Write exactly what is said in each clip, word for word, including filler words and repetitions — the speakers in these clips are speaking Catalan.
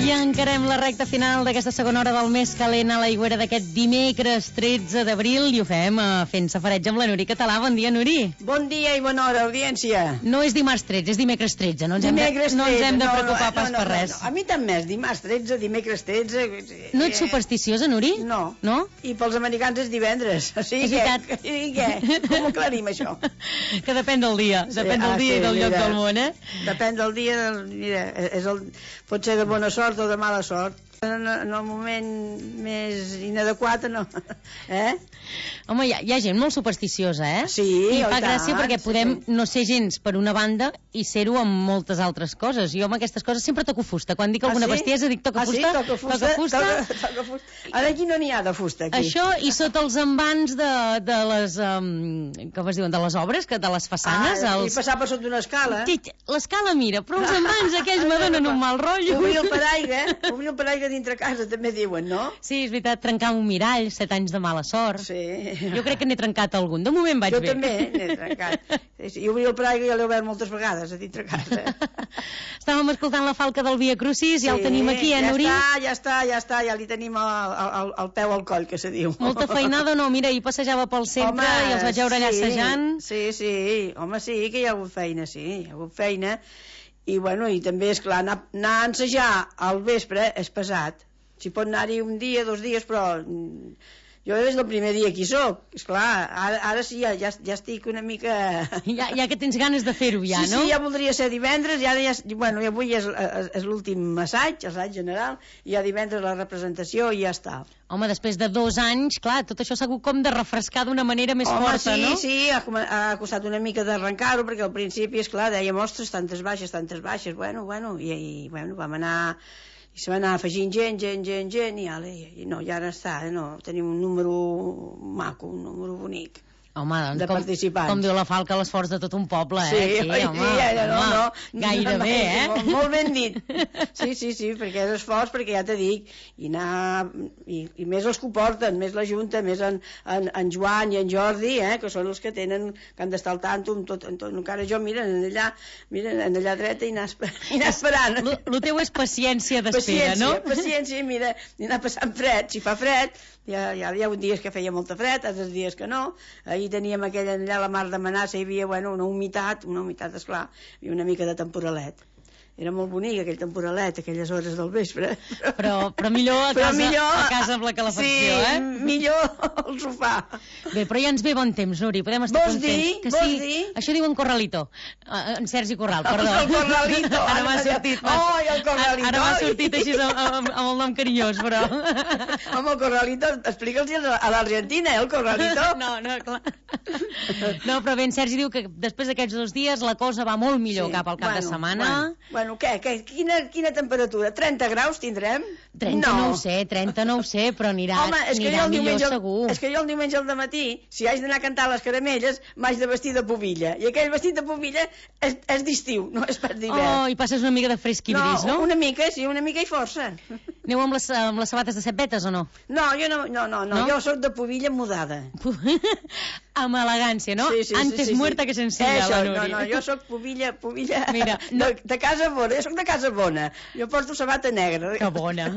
I encarem la recta final d'aquesta segona hora del mes calent a l'Aigüera d'aquest dimecres tretze d'abril i ho fem uh, fent safareig amb la Nuri Català. Bon dia, Nuri. Bon dia i bona hora, audiència. No és dimarts tretze, és dimecres tretze. No ens dimecres hem de, no ens hem de no, preocupar no, pas no, no, per res. No, no. A mi tant més, dimarts tretze, dimecres tretze... No ets supersticiosa, Nuri? No. No? I pels americans és divendres. O sigui, és veritat. Què? I què? Com ho aclarim, això? Que depèn del dia. Depèn del ah, dia sí, i del mira, lloc del món, eh? Depèn del dia, del, mira, és el, pot ser de bona sort o de mala sort. En, en el moment més inadequat, no. Eh? Home, hi ha, hi ha gent molt supersticiosa, eh? Sí, i fa tant, gràcia perquè podem sí. no ser gens per una banda i ser-ho amb moltes altres coses. Jo amb aquestes coses sempre toco fusta. Quan dic alguna ah, sí? bestiesa dic toca ah, fusta, sí? toca fusta, toca fusta. Toca, toca fusta. Ara aquí no n'hi ha de fusta, aquí. Això i sota els envans de, de les um, com es diuen, de les obres, que de les façanes. Ah, els... I passar per sota una escala. L'escala, mira, però els envans aquells me donen un mal rotllo. Obrir el paraigua, obrir el paraigua dintre casa també diuen, no? Sí, és veritat, trencar un mirall, set anys de mala sort. Sí. Jo crec que n'he trencat algun. De moment vaig jo bé. Jo també n'he trencat. I obrir el paraigua ja l'he obert moltes vegades a dintre casa. Estàvem escoltant la falca del Via Crucis, sí, ja el tenim aquí, eh, ja Nuri? Ja està, ja està, ja està, ja li tenim el, el, el peu al coll, que se diu. Molta feinada, no? Mira, ahir passejava pel centre home, i els vaig veure allà sí, assajant. Sí, sí, home, sí, que hi ha hagut feina, sí, hi ha hagut feina. I, bueno, i també, esclar, anar, anar a ensejar al vespre és pesat. Si pot anar-hi un dia, dos dies, però jo des del primer dia que hi soc. Esclar, ara, ara sí, ja, ja, ja estic una mica... Ja, ja que tens ganes de fer-ho ja, sí, no? Sí, ja voldria ser divendres, i ara ja, bueno, avui és, és, és l'últim assaig, assaig general, i ja divendres la representació i ja està. Home, després de dos anys, clar, tot això s'ha hagut com de refrescar d'una manera més Home, forta, sí, no? Sí, sí, ha, ha costat una mica d'arrencar-ho, perquè al principi, esclar, dèiem, ostres, tantes baixes, tantes baixes, bueno, bueno, i, i bueno, vam anar... i se va anar afegint gent, gent, gent, gent, i, ale, i no, i ara està, eh, no, tenim un número maco, un número bonic. Home, doncs, de com, participants. Com diu la falca, l'esforç de tot un poble, eh? Sí, Aquí, oi, home, sí, ja, no, home, no, gairebé, no, eh? Molt, molt ben dit. Sí, sí, sí, perquè és esforç, perquè ja te dic, i, anar, i, i més els que ho porten, més la Junta, més en, en, en Joan i en Jordi, eh, que són els que tenen, que han d'estar al tanto, amb tot, amb tot, encara jo, mira, en allà, mira, en allà dreta i anar, i anar esperant. El teu és paciència d'espera, no? Paciència, paciència, mira, i anar passant fred, si fa fred, ja, ja hi ha un dies que feia molta fred, altres dies que no. Ahir teníem aquella allà a la mar de Manassa, hi havia, bueno, una humitat, una humitat, esclar, i una mica de temporalet. Era molt bonic aquell temporalet, aquelles hores del vespre. Però, però millor a però casa, millor, a casa amb la calefacció, sí, eh? millor al sofà. Bé, però ja ens ve bon temps, Nuri, podem estar vols contents. Dir, que vols sí, dir? Això diu en Corralito, en Sergi Corral, perdó. El Corralito. Ara m'ha sortit. Oh, el Corralito. Ara m'ha sortit així amb, amb, amb el nom carinyós, però... Home, el Corralito, explica'ls a l'Argentina, eh, el Corralito. No, no, clar. No, però bé, en Sergi diu que després d'aquests dos dies la cosa va molt millor sí, cap al cap bueno, de setmana. Bueno, bueno què, què, quina, quina temperatura? trenta graus tindrem? trenta no, no ho sé, trenta no ho sé, però anirà, Home, és que anirà jo millor diumenge, segur. És que jo el diumenge al matí, si haig d'anar a cantar les caramelles, m'haig de vestir de pubilla. I aquell vestit de pubilla és, és d'estiu, no és pas d'hivern. Oh, i passes una mica de fresc i bris, no? No, una mica, sí, una mica i força. Aneu amb les, amb les sabates de set vetes o no? No, jo no, no, no, no, no? jo sóc de pubilla mudada. Amb elegància, no? Sí, sí, Antes sí, sí, muerta sí. que sencilla, Això, la Núria. No, no, jo sóc pubilla, pubilla Mira, no... de, de casa bona, jo sóc de casa bona. Jo porto sabata negra. Que bona.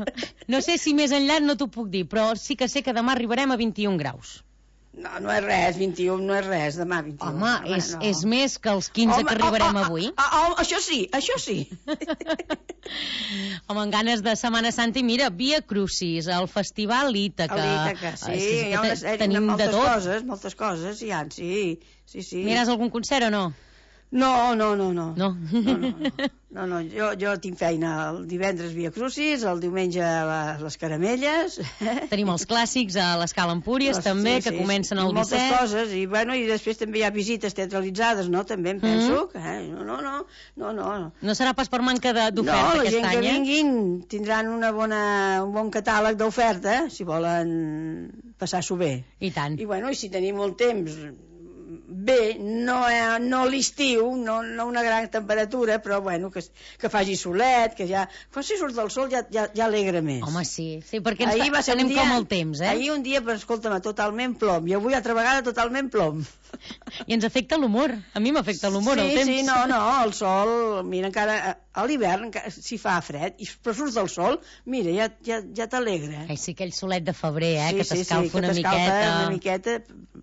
No sé si més enllà no t'ho puc dir, però sí que sé que demà arribarem a vint-i-un graus. No, no és res, vint-i-un no és res, demà vint-i-un. Home, Home és, no. és més que els quinze Home, que arribarem oh, oh, avui. Oh, oh, oh, això sí, això sí. Home, amb ganes de Setmana Santa i mira, Via Crucis, el Festival Ítaca. L'Ítaca, sí, sí, hi ha una sèrie, tenim moltes de tot. coses, moltes coses hi ha, sí, sí, sí. Aniràs a algun concert o no? No, no, no, no. No? No, no, no. no, no. Jo, jo tinc feina el divendres Via Crucis, el diumenge les, les caramelles. Tenim els clàssics a l'Escala Empúries, les, també, sí, que sí, comencen el moltes disset. Moltes coses, i, bueno, i després també hi ha visites teatralitzades, no? També em penso. Mm -hmm. eh? No, no, no, no, no. No serà pas per manca d'oferta no, aquest any, eh? No, la gent que vinguin tindran una bona, un bon catàleg d'oferta, si volen passar-s'ho bé. I tant. I, bueno, i si tenim molt temps... Bé, no, eh, no l'estiu, no, no una gran temperatura, però bueno, que, que faci solet, que ja... Quan si surt el sol ja, ja, ja alegra més. Home, sí, sí, perquè ens ahir va ser anem un dia, com el temps, eh? Ahir un dia, però escolta'm, totalment plom, i avui altra vegada totalment plom. I ens afecta l'humor. A mi m'afecta l'humor, sí, el temps. Sí, no, no, el sol, mira, encara a l'hivern, si fa fred, i però surts del sol, mira, ja, ja, ja t'alegra. Ai, sí, aquell solet de febrer, eh, sí, que t'escalfa sí, sí, una que miqueta. una miqueta,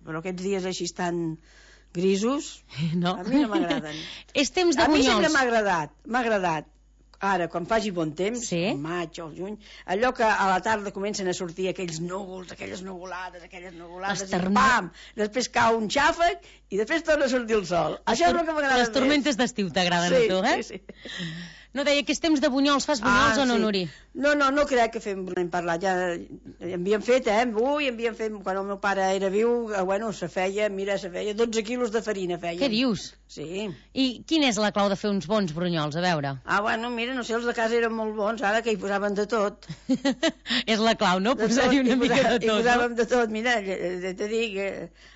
però aquests dies així estan grisos, no. a mi no m'agraden. És temps de bunyols. A mi bunyols. sempre m'ha agradat, m'ha agradat. Ara, quan faci bon temps, sí? el maig o el juny, allò que a la tarda comencen a sortir aquells núvols, aquelles nuvolades, aquelles nuvolades, i pam! Després cau un xàfec i després torna a sortir el sol. Les Això és el que m'agrada més. Les tormentes d'estiu t'agraden sí, a tu, eh? Sí, sí. No, deia que és temps de bunyols. Fas bunyols ah, o no, sí. Nuri? No, no, no crec que fem, n'hem parlat, ja havíem fet, eh, ui, havíem fet, quan el meu pare era viu, bueno, se feia, mira, se feia dotze quilos de farina, feia. Què dius? Sí. I quina és la clau de fer uns bons brunyols, a veure? Ah, bueno, mira, no sé, els de casa eren molt bons, ara que hi posaven de tot. És la clau, no? Posar-hi una mica de tot, hi posàvem no? de tot, mira, te dic... Eh,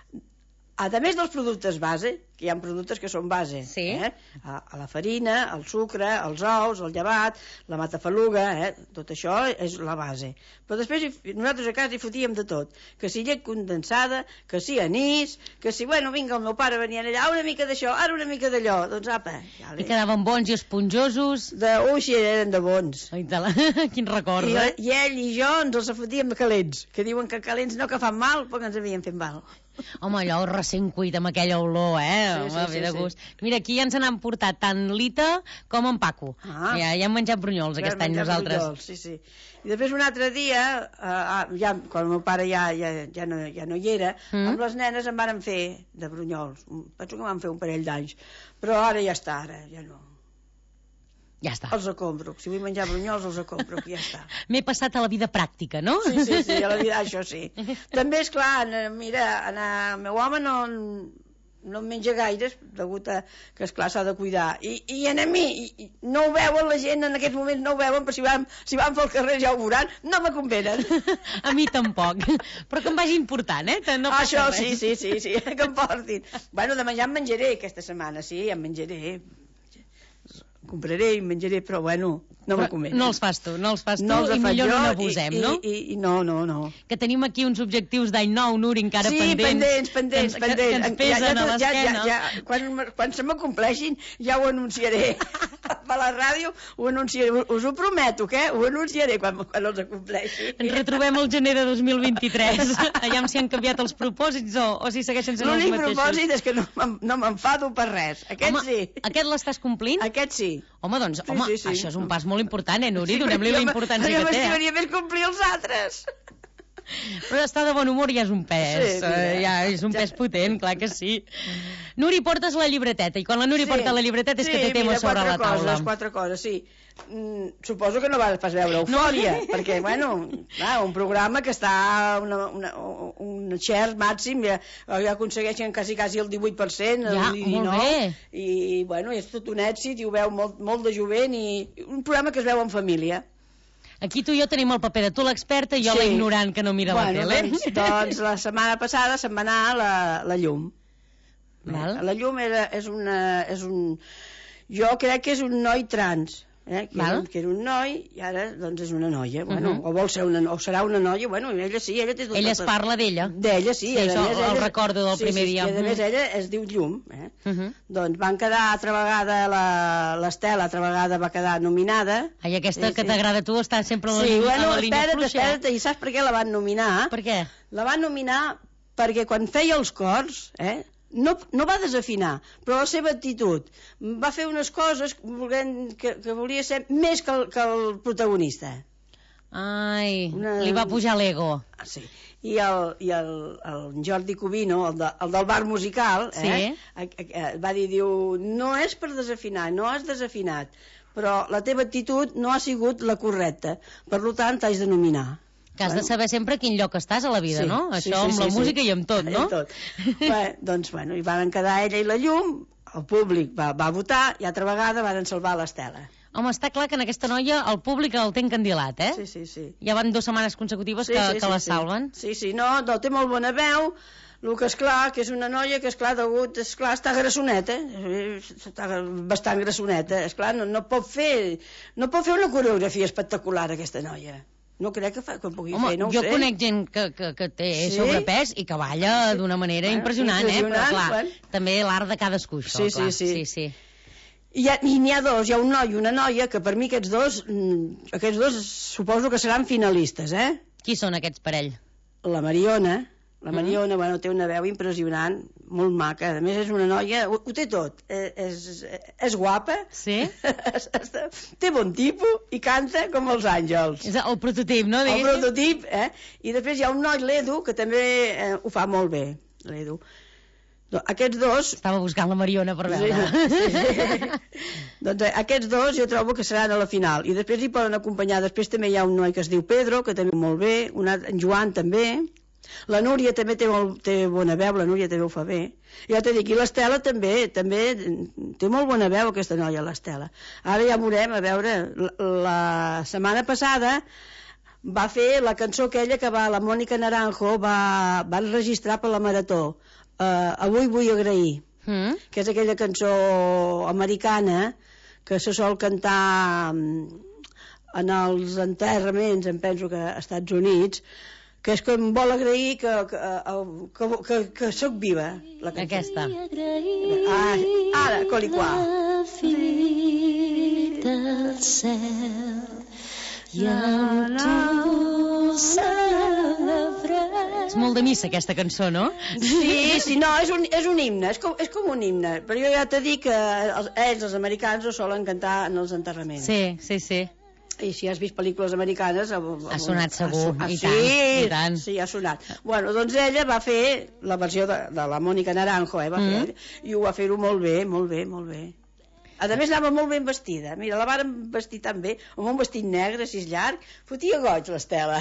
a més dels productes base, que hi ha productes que són base, sí. eh? a, a la farina, el sucre, els ous, el llevat, la matafaluga, eh? Tot això és la base. Però després hi, nosaltres a casa hi fotíem de tot, que si llet condensada, que si anís, que si, bueno, vinga, el meu pare venia allà, una mica d'això, ara una mica d'allò, doncs apa. Ja I quedaven bons i esponjosos. De, ui, sí, eren de bons. Ai, la... Quin record, I, eh? I ell i jo ens els fotíem de calents, que diuen que calents no que fan mal, però que ens havien fet mal. Home, allò recent cuit amb aquella olor, eh? Sí, Home, sí, ve de sí, gust. Sí. Mira, aquí ja ens n'han portat tant l'Ita com en Paco. Ah. Ja, ja hem menjat brunyols aquest any nosaltres. Brunyols, sí, sí. I després un altre dia, eh, ja, quan el meu pare ja, ja, ja, no, ja no hi era, mm. amb les nenes em varen fer de brunyols. Penso que van fer un parell d'anys. Però ara ja està, ara ja no. Ja està. Els compro. Si vull menjar brunyols, els compro, ja està. M'he passat a la vida pràctica, no? Sí, sí, sí, a la vida, això sí. També, és clar, mira, el meu home no, no en menja gaires, degut a que, esclar, s'ha de cuidar. I, i en a mi, i, no ho veuen la gent, en aquests moments no ho veuen, però si van, si van pel carrer ja ho veuran, no me convenen. A mi tampoc. Però que em vagi important, eh? No ah, això res. sí, sí, sí, sí, que em portin. Bueno, de menjar em menjaré aquesta setmana, sí, em menjaré. Compraré i menjaré, però bueno, no me convenen. No els fas tu, no els fas tu, no els i millor jo, no n'abusem, i, no? I, i, no, no, no. Que tenim aquí uns objectius d'any nou, Nuri, encara sí, pendents. Sí, pendents, pendents, que, pendents. Que ens pesen ja, ja, a l'esquena. Ja, ja, quan, quan se m'acompleixin ja ho anunciaré. A la ràdio ho anunciaré, us ho prometo, que ho anunciaré quan, quan els acompleixi. Ens retrobem el gener de dos mil vint-i-tres. Allà si han canviat els propòsits o, o si segueixen sent els mateixos. L'únic propòsit és que no, no m'enfado per res. Aquest home, sí. Aquest l'estàs complint? Aquest sí. Home, doncs, sí, home, sí, sí. això és un pas molt important, eh, Nuri? Sí, donem-li la importància que té. Jo m'estimaria més complir els altres. Però estar de bon humor ja és un pes, sí, mira, uh, ja és un ja. pes potent, clar que sí. Nuri, portes la llibreteta, i quan la Nuri sí, porta la llibreteta és sí, que té tema sobre la taula. Sí, mira, quatre coses, sí. Mm, suposo que no vas pas veure Eufòria, no. perquè, bueno, clar, un programa que està una, una, un share màxim, ja, ja aconsegueixen quasi, quasi el divuit per cent, ja, el molt dinou, bé. I, bueno, és tot un èxit, i ho veu molt, molt de jovent, i un programa que es veu en família. Aquí tu i jo tenim el paper de tu l'experta i jo sí. la ignorant que no mira bueno, la tele. Doncs, doncs la setmana passada se'n va anar la, la llum. Val. La llum era, és, una, és un... Jo crec que és un noi trans. Eh, que, era, que era un noi i ara doncs és una noia, bueno, uh -huh. o vol ser una, o serà una noia, bueno, ella sí, ella té tot. Ella es tot, parla d'ella. D'ella, sí, sí a això més, el ella, recordo del sí, primer sí, dia. Sí, a més ella es diu Llum, eh? Uh -huh. Doncs van quedar altra vegada l'Estela, altra vegada va quedar nominada. Ai, aquesta sí, que sí. t'agrada a tu està sempre a la, sí, línia, bueno, a la línia espera't, fluixa. espera't, i saps per què la van nominar? Per què? La van nominar perquè quan feia els cors, eh? No, no va desafinar, però la seva actitud va fer unes coses volent, que, que volia ser més que el, que el protagonista. Ai, Una... li va pujar l'ego. Ah, sí. I el, i el, el Jordi Cubino, el, de, el del bar musical, sí. eh, va dir, diu, no és per desafinar, no has desafinat, però la teva actitud no ha sigut la correcta, per tant t'has de nominar. Que has bueno. de saber sempre a quin lloc estàs a la vida, sí, no? Això sí, sí, amb sí, la sí. música i amb tot, no? Amb tot. Bé, doncs, bueno, hi van quedar ella i la Llum, el públic va, va votar i altra vegada van salvar l'Estela. Home, està clar que en aquesta noia el públic el té encandilat, eh? Sí, sí, sí. Ja van dues setmanes consecutives sí, que, sí, que sí, la sí. salven. Sí, sí, no, no, té molt bona veu, el que és clar, que és una noia que és clar, degut, és clar, està grassoneta, està bastant grassoneta, és clar, no, no pot fer, no pot fer una coreografia espectacular aquesta noia. No crec que, fa, que pugui Home, fer, no ho jo sé. conec gent que, que, que té Sí? sobrepès i que balla Sí. d'una manera Bueno, impressionant, eh? Però impressionant, clar, bueno. també l'art de cadascú, això, Sí, clar. sí, sí. sí, sí. I, ha, I n'hi ha dos, hi ha un noi i una noia, que per mi aquests dos, mm, aquests dos suposo que seran finalistes, eh? Qui són aquests parell? La Mariona, la Mm. Mariona, bueno, té una veu impressionant, molt maca, a més és una noia, ho, ho té tot, eh, és, és guapa, Sí? té bon tipus i canta com els àngels. És el prototip, no? El Diguéssim? prototip, eh? I després hi ha un noi, l'Edu, que també eh, ho fa molt bé, l'Edu. Do- Aquests dos... Estava buscant la Mariona per veure. Sí, sí. Doncs eh, aquests dos jo trobo que seran a la final. I després hi poden acompanyar, després també hi ha un noi que es diu Pedro, que també molt bé, un altre, en Joan també, la Núria també té, molt, té bona veu, la Núria també ho fa bé. Ja t'he dit, i l'Estela també, també té molt bona veu aquesta noia, l'Estela. Ara ja veurem, a veure, la, la setmana passada va fer la cançó aquella que va, la Mònica Naranjo va, va enregistrar per la Marató. Uh, avui vull agrair, Mm? que és aquella cançó americana que se sol cantar mm, en els enterraments, em penso que als Estats Units, que és que em vol agrair que, que, que, que, que sóc viva, la cançó. Aquesta. Ah, ara, coliquà. del cel i amb tu celebrar. És molt de missa, aquesta cançó, no? Sí, sí, no, és un, és un himne, és com, és com un himne, però jo ja t'he dit que els, ells, els americans, ho solen cantar en els enterraments. Sí, sí, sí. I si has vist pel·lícules americanes... Ha sonat segur, ha, i sí, tant, i tant. Sí, ha sonat. Bueno, doncs ella va fer la versió de, de la Mònica Naranjo, eh, va Mm. fer, i ho va fer-ho molt bé, molt bé, molt bé. A més, anava molt ben vestida. Mira, la varen vestir tan bé, amb un vestit negre, així llarg. Fotia goig, l'Estela.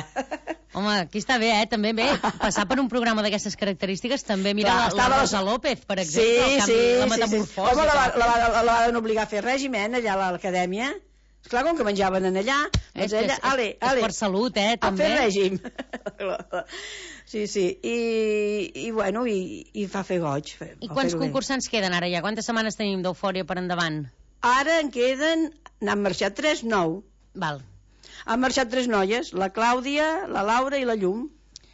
Home, aquí està bé, eh? També bé. Passar per un programa d'aquestes característiques, també mira Clar, la, la estava- Rosa López, per exemple, Sí, el canvi, sí, la sí, metamorfosi. sí. Home, la, que va- va la, fer. la, la van obligar a fer règim, eh, allà a l'acadèmia. Esclar, com que menjaven en allà, És, doncs que ella, és, ale, és ale, per salut, eh, a també. fer règim. Sí, sí, i, i bueno, i, i fa fer goig. Fer, I fa quants fer-ho bé. concursants queden ara ja? Quantes setmanes tenim d'eufòria per endavant? Ara en queden, n'han marxat tres, nou. Val. Han marxat tres noies, la Clàudia, la Laura i la Llum.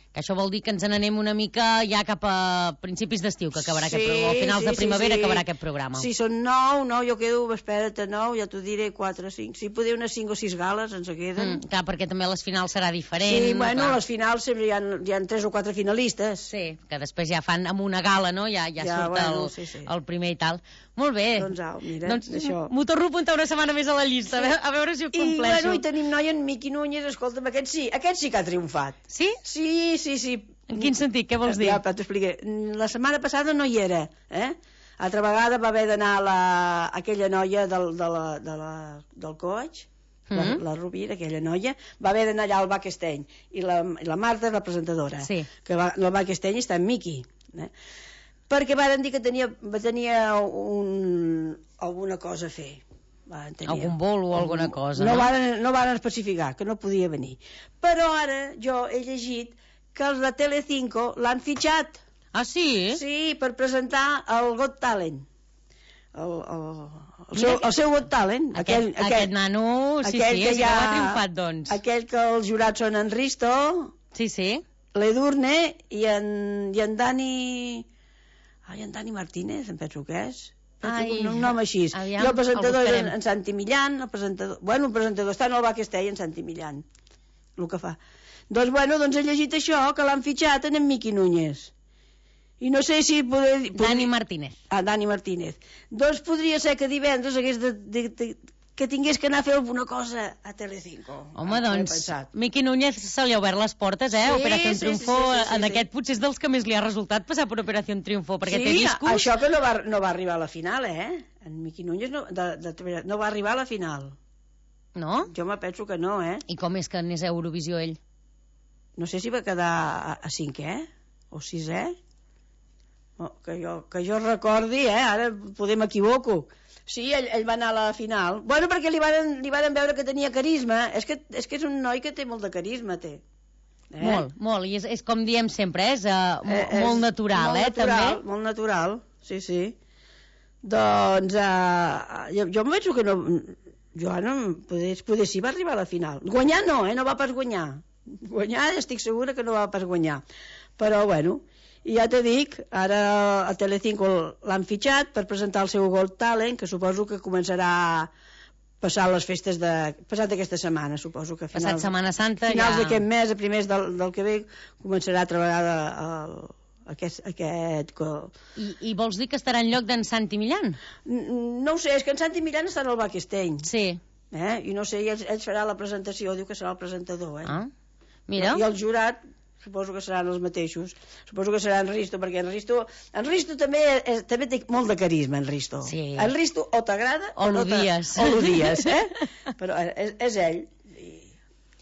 Que això vol dir que ens n'anem una mica ja cap a principis d'estiu, que acabarà aquest programa. O finals sí, de primavera sí, sí. acabarà aquest programa. Sí, són nou, nou, jo quedo, espera't, nou, ja t'ho diré, quatre, cinc. Si poder unes cinc o sis gales ens queden. Mm, clar, perquè també les finals serà diferent. Sí, bueno, clar. les finals sempre hi ha, hi ha tres o quatre finalistes. Sí, que després ja fan amb una gala, no? Ja, ja, Ja, surt bueno, el, sí, sí. el primer i tal. Molt bé. Doncs au, mira, doncs, això. m'ho torno a apuntar una setmana més a la llista, a veure, a veure si ho I, compleixo. bueno, i tenim noia en Miqui Núñez, escolta'm, aquest sí, aquest sí que ha triomfat. Sí? Sí, sí, sí. En quin sentit? Què vols dir? Ja, però t'ho expliqué. La setmana passada no hi era, eh? Altra vegada va haver d'anar la, aquella noia del, de la, de la, del coach, la, Mhm. la Rovira, aquella noia, va haver d'anar allà al Bac Esteny, i la, i la Marta és la presentadora, Sí. que va, el Bac Esteny està en Miqui, eh? Perquè varen dir que tenia, tenia un, alguna cosa a fer. Varen tenir, Algun bolo o alguna cosa, no? no? Varen, no varen especificar, que no podia venir. Però ara jo he llegit que els de Telecinco l'han fitxat. Ah, sí? Sí, per presentar el Got Talent. El, el, el, Mira seu, que- el seu Got Talent. Aquest, aquest, aquest nano, sí, aquell sí, que és hi que ha- ha triomfat, doncs. Aquell que els jurats són en Risto, Sí, sí. l'Edurne i en, i en Dani... Ai, en Dani Martínez, em penso que és. Ai, un, un nom així. aviam, I el presentador el és en, buscarem. en Santi Millán, el presentador... Bueno, el presentador està en el Bac Estell, en Santi Millán, el que fa. Doncs, bueno, doncs he llegit això, que l'han fitxat en en Miqui Núñez. I no sé si poder... Dani Martínez. Ah, Dani Martínez. Doncs podria ser que divendres hagués de, de, de, que tingués que anar a fer alguna cosa a Telecinco. Home, Ah, ho he doncs, pensat. Miqui Núñez se li ha obert les portes, eh? Sí, Operació sí, Triunfo, sí, sí, sí, en sí. aquest potser és dels que més li ha resultat passar per Operació Triunfo, perquè Sí, té discos... això que no va, no va arribar a la final, eh? En Miqui Núñez no, de, de, no va arribar a la final. No? Jo me penso que no, eh? I com és que anés a Eurovisió ell? No sé si va quedar a, a cinquè o sisè. Oh, que, jo, que jo recordi, eh? Ara poder m'equivoco. Sí, ell, ell va anar a la final. Bueno, perquè li varen, li varen veure que tenia carisma. És que, és que és un noi que té molt de carisma, té. Eh? Molt, molt, i és, és com diem sempre, eh? és, uh, Eh, eh, molt natural, molt eh, natural, també. Molt natural, sí, sí. Doncs, uh, jo, jo em penso que no... Joan, poder, poder sí va arribar a la final. Guanyar no, eh? No va pas guanyar. Guanyar estic segura que no va pas guanyar. Però, bueno, i ja te dic, ara a Telecinco l'han fitxat per presentar el seu Got Talent, que suposo que començarà passar les festes de... passat aquesta setmana, suposo que a finals... Passat Setmana Santa finals ja... d'aquest mes, a primers del, del que ve, començarà a treballar el, aquest... aquest I, I vols dir que estarà en lloc d'en Santi Millán? No ho sé, és que en Santi Millán està en el Backsteinj. Sí. Eh? I no sé, ell, ell farà la presentació, diu que serà el presentador, eh? Ah, mira. I el jurat, suposo que seran els mateixos. Suposo que serà en Risto, perquè en Risto, en Risto també, és, també té molt de carisma, en Risto. Sí. En Risto o t'agrada o, o l'odies. No o l'odies, eh? Però és, és ell.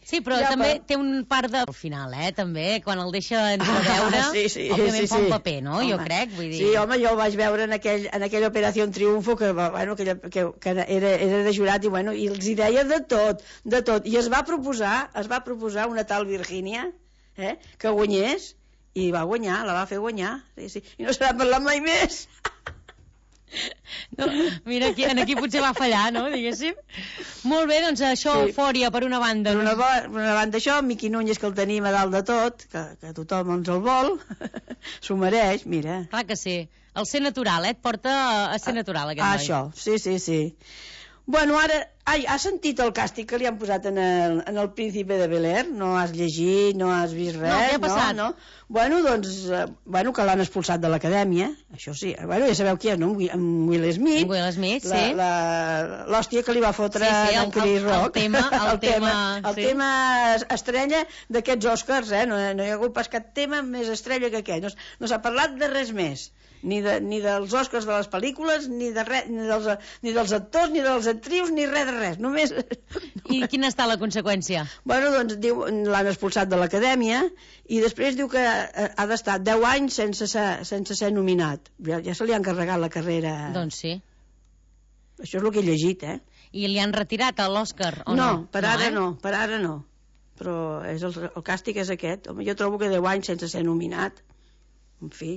Sí, però ja, també però... té un part de... Al final, eh, també, quan el deixa entreveure, ah, sí, sí, òbviament sí, fa un sí. paper, no? Home. Jo crec, vull dir... Sí, home, jo el vaig veure en, aquell, en aquella Operació Triunfo, que, bueno, que, que, que era, era de jurat, i, bueno, i els hi deia de tot, de tot. I es va proposar, es va proposar una tal Virgínia, eh, que guanyés, i va guanyar, la va fer guanyar, sí, sí. I no se n'ha parlat mai més. No, mira, aquí, aquí potser va fallar, no?, diguéssim. Molt bé, doncs això, sí. Eufòria, per una banda. Per una, per una banda això, Miqui Núñez, que el tenim a dalt de tot, que, que tothom ens el vol, s'ho mereix, mira. Clar que sí. El ser natural, eh? Et porta a ser natural, aquest noi. Això, sí, sí, sí. Bueno, ara, ai, has sentit el càstig que li han posat en el, en el Príncipe de Bel-Air? No has llegit, no has vist res? No, què ha passat? No, no. Bueno, doncs, eh, bueno, que l'han expulsat de l'acadèmia, això sí. Bueno, ja sabeu qui és, no? En Will Smith. En Will Smith, la, sí. La, l'hòstia que li va fotre sí, sí, en Chris el, Rock. El tema, el, el tema, tema, el sí. tema estrella d'aquests Oscars, eh? No, no hi ha hagut pas cap tema més estrella que aquest. No, no s'ha parlat de res més. Ni, de, ni dels Oscars de les pel·lícules, ni, de re, ni, dels, ni dels actors, ni dels actrius, ni res de res. Només... I quina està la conseqüència? Bueno, doncs diu, l'han expulsat de l'acadèmia i després diu que ha d'estar deu anys sense ser, sense ser nominat. Ja, ja se li ha encarregat la carrera. Doncs sí. Això és el que he llegit, eh? I li han retirat a l'Òscar, o no? No, per ara no, eh? no, per ara no. Però és el, el càstig és aquest. Home, jo trobo que deu anys sense ser nominat. En fi...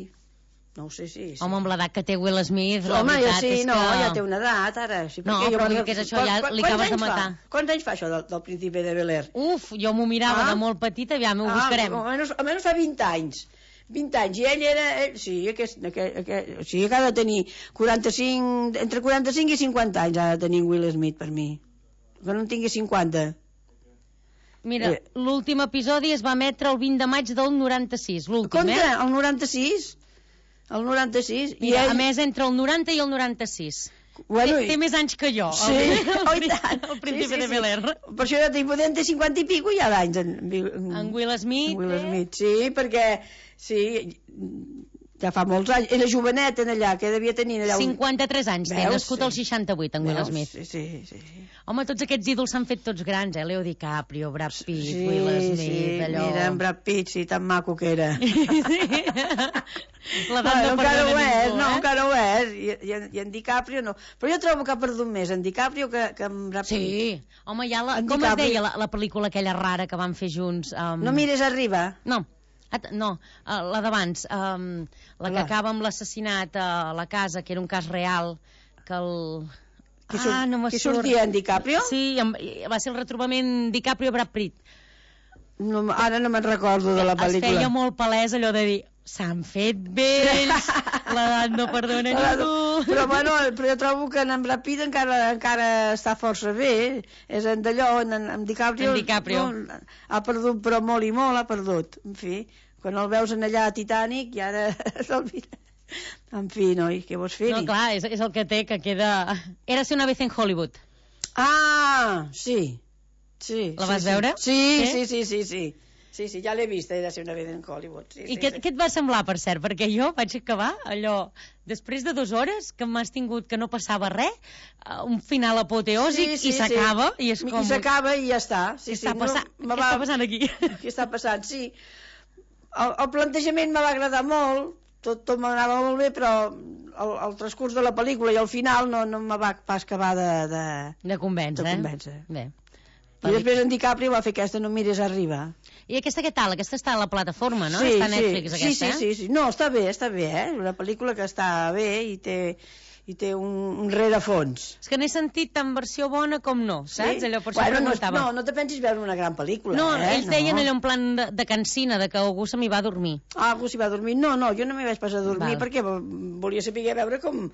No ho sé si... Sí. Home, amb l'edat que té Will Smith, la Home, veritat ja sí, és no, que... ja té una edat, ara. Sí, no, però jo... que és això, ja li acabes de matar. Fa? Quants anys fa això del, del Príncipe de Bel-Air? Uf, jo m'ho mirava ah? de molt petita, aviam, ho ah, buscarem. Almenys, almenys fa vint anys. vint anys, i ell era... Ell, sí, aquest, aquest, aquest, o sigui que ha de tenir quaranta-cinc, entre quaranta-cinc i cinquanta anys ha de tenir Will Smith per mi. Que no en tingui cinquanta. Mira, eh. l'últim episodi es va emetre el vint de maig del noranta-sis, l'últim, eh? Contra, el noranta-sis? El noranta-sis. Mira, I ell... a més, entre el noranta i el noranta-sis. Bueno, té, té més anys que jo, sí, el, oh, el, el Príncipe sí, sí, de Bel-Air. Sí. Per això jo tinc, podem ter cinquanta i pico ja d'anys. En, en, en Will Smith. En Will Smith, sí, perquè sí, ja fa molts anys. Era jovenet en allà, que devia tenir allà... Un... cinquanta-tres anys, té, nascut el seixanta-vuit, en Will Smith. Sí, sí, sí. Home, tots aquests ídols s'han fet tots grans, eh? Leo DiCaprio, Brad Pitt, sí, Will Smith, sí, allò... mira, en Brad Pitt, sí, tan maco que era. Sí. La no, no, encara ho és, ningú, no, eh? encara ho és. I, i, en, I en DiCaprio no. Però jo trobo que ha perdut més en DiCaprio que, que en Brad Pitt. Sí, home, ja la... En Com DiCaprio... es deia la, la pel·lícula aquella rara que van fer junts? Um... No mires arriba. No, At no, uh, la d'abans, um, la que acaba amb l'assassinat a la casa, que era un cas real, que el... Qui, surt, ah, no qui sortia en DiCaprio? Sí, va ser el retrobament DiCaprio-Brad Pitt. No, ara no me'n recordo de la pel·lícula. Es feia molt palès allò de dir s'han fet vells, l'edat no perdona ningú. Però, bueno, però jo trobo que en Brad Pitt encara, encara està força bé. És en d'allò, en, en DiCaprio, en DiCaprio. No, ha perdut, però molt i molt ha perdut. En fi, quan el veus en allà a Titanic i ara se'l mira. En fi, noi, què vols fer-hi? No, clar, és, és el que té, que queda... Érase una vez en Hollywood. Ah, sí. Sí, la sí, vas sí. veure? Sí, eh? sí, sí, sí, sí. Sí, sí, ja l'he vista, era ser una vez en Hollywood. Sí, I sí, què, sí. què et va semblar, per cert? Perquè jo vaig acabar allò, després de dues hores, que m'has tingut que no passava res, un final apoteòsic, sí, sí, i s'acaba, sí. i és com... I s'acaba i ja està. Sí, què, està sí, passant? no, què va... està passant aquí? Què està passant, sí. El, el plantejament me va agradar molt, tot, tot m'anava molt bé, però el, el transcurs de la pel·lícula i el final no, no me va pas acabar de... De, de convèncer. De convèncer. Bé. I després en DiCaprio va fer aquesta No mires arriba. I aquesta què tal? Aquesta està a la plataforma, no? Sí, està a Netflix, sí, aquesta, sí, eh? sí, sí. No, està bé, està bé, eh? Una pel·lícula que està bé i té, i té un, un rerefons. És que n'he sentit tant versió bona com no, saps? Sí? Allò per això Bueno, no, preguntava. no, no te pensis veure una gran pel·lícula, No, eh? ells deien allò en plan de, de cansina, de que algú se m'hi va a dormir. Ah, algú s'hi va dormir? No, no, jo no m'hi vaig pas a dormir Val. perquè volia saber veure com...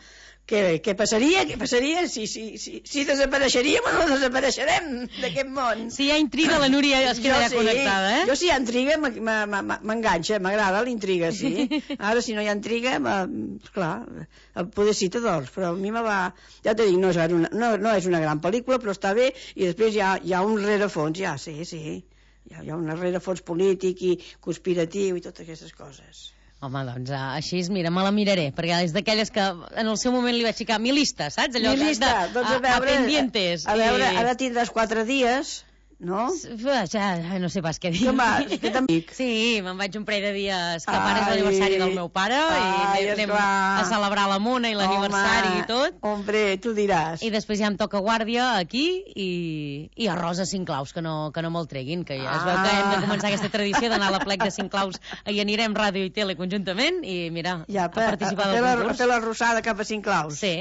Què, què passaria, què passaria si, si, si, si desapareixeríem o no desapareixerem d'aquest món. Si hi ha intriga, la Núria es queda ja sí, connectada, eh? Jo si hi ha intriga m'enganxa, m'agrada l'intriga, sí. Ara si no hi ha intriga, clar, poder sí t'adors, però a mi me va... Ja t'he dit, no és, una, no, no és una gran pel·lícula, però està bé, i després hi ha, hi ha un rerefons, ja, sí, sí. Hi ha, hi ha un rerefons polític i conspiratiu i totes aquestes coses. Home, doncs així, mira, me la miraré, perquè és d'aquelles que en el seu moment li vaig ficar mi lista, saps? Allò mi lista, de, doncs a, a, veure, a pendientes. A, a veure, i... ara tindràs quatre dies, no? Ja, no sé pas què dir. Que vas, que t'amic. Sí, me'n vaig un parell de dies que ara és l'aniversari del meu pare ai, i anem esclar. a celebrar la mona i l'aniversari i tot. Hombre, tu diràs. I després ja em toca guàrdia aquí i, i arròs a cinc claus, que no, que no me'l treguin, que ja es veu que hem de començar aquesta tradició d'anar a la plec de cinc claus i anirem ràdio i tele conjuntament i mira, ja, a participar a, a, del la, concurs. a fer la rossada cap a cinc claus. Sí.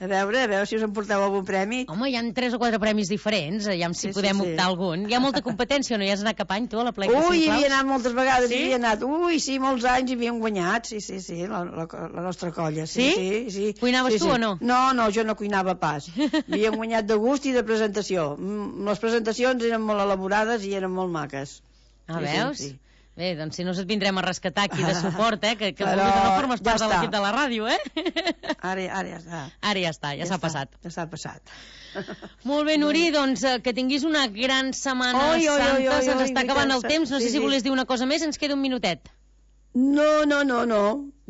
A veure, a veure si us en porteu algun premi. Home, hi ha tres o quatre premis diferents, ja si Sí, sí, podem sí. optar algun. Hi ha molta competència, no hi has anat cap any, tu, a la plec de Ui, cinc hi claus? havia anat moltes vegades, Sí? hi havia anat. Ui, sí, molts anys hi havíem guanyat, sí, sí, sí, la, la, la nostra colla. Sí? Sí? Sí, sí. Cuinaves sí, tu sí. o no? No, no, jo no cuinava pas. Havíem guanyat de gust i de presentació. Mm, Les presentacions eren molt elaborades i eren molt maques. Ah, Sí, sí, veus? sí. Bé, doncs si no us et vindrem a rescatar aquí de suport, eh? Que, que Però vulguis o no formes ja part de està. l'equip de la ràdio, eh? Ara, ara ja està. Ara ja està, ja, s'ha està, passat. Ja s'ha passat. Molt bé, Nuri, doncs eh, que tinguis una gran setmana Oi, oi, oi, santa, oi, se'ns oi, està acabant el veritat, temps, no sí, sé si sí. volies dir una cosa més, ens queda un minutet. No, no, no, no.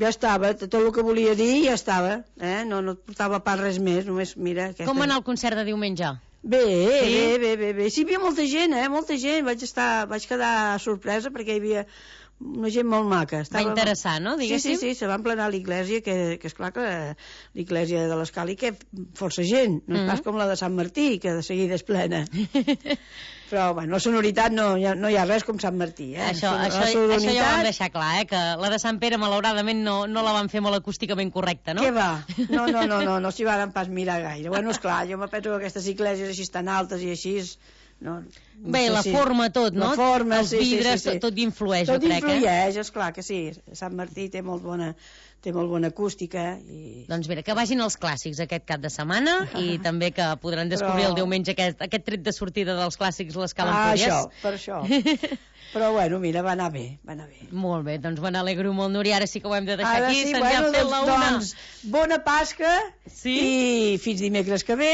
Ja estava. Tot el que volia dir ja estava. Eh? No, no et portava pas res més. Només, mira... Aquesta... Com va anar el concert de diumenge? Bé, Sí? bé, bé, bé, bé. Sí, hi havia molta gent, eh? Molta gent. Vaig, estar, vaig quedar sorpresa perquè hi havia una gent molt maca. Va interessar, no, Sí, diguéssim? sí, sí, se va emplenar l'església, que, que esclar que l'església de l'Escali, que força gent, no és Mhm. pas com la de Sant Martí, que de seguida és plena. Però, bueno, la sonoritat no, hi ha- no hi ha res com Sant Martí, eh? Això, La això, sonoritat- això ja ho vam deixar clar, eh? Que la de Sant Pere, malauradament, no, no la van fer molt acústicament correcta, no? Què va? No, no, no, no, no s'hi van pas mirar gaire. Bueno, esclar, jo me penso que aquestes esglésies així tan altes i així... No, no Bé, sé la si- forma tot, no? La forma, Els sí, sí, vidres, sí, sí. tot, tot hi influeix, Tot jo crec, eh? influeix, esclar que sí. Sant Martí té molt bona, té molt bona acústica i... Doncs mira, que vagin els clàssics aquest cap de setmana i també que podran descobrir Però- el diumenge aquest, aquest tret de sortida dels clàssics l'Escala Ah, Empúries. això, per això. Però bueno, mira, va anar bé, va anar bé. Molt bé, doncs me n'alegro molt, Núria. Ara sí que ho hem de deixar Ara aquí. sí, Se'ns bueno, ha fet doncs, la una. doncs, bona Pasca Sí? i fins dimecres que ve,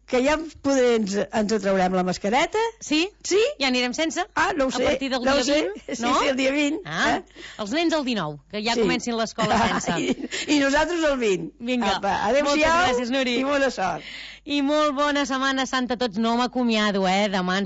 que ja poder ens, ens traurem la mascareta. Sí? Sí? Ja anirem sense? Ah, no ho sé. A partir del no dia ho sé. vint, Sí, no? sí, el dia vint. Ah, eh? els nens el dinou, que ja Sí. comencin l'escola sense. I, I nosaltres el vint. Vinga. Apa, Moltes adéu-siau gràcies, Nuri. i bona sort. I molt bona setmana santa a tots. No m'acomiado, eh? Demà ens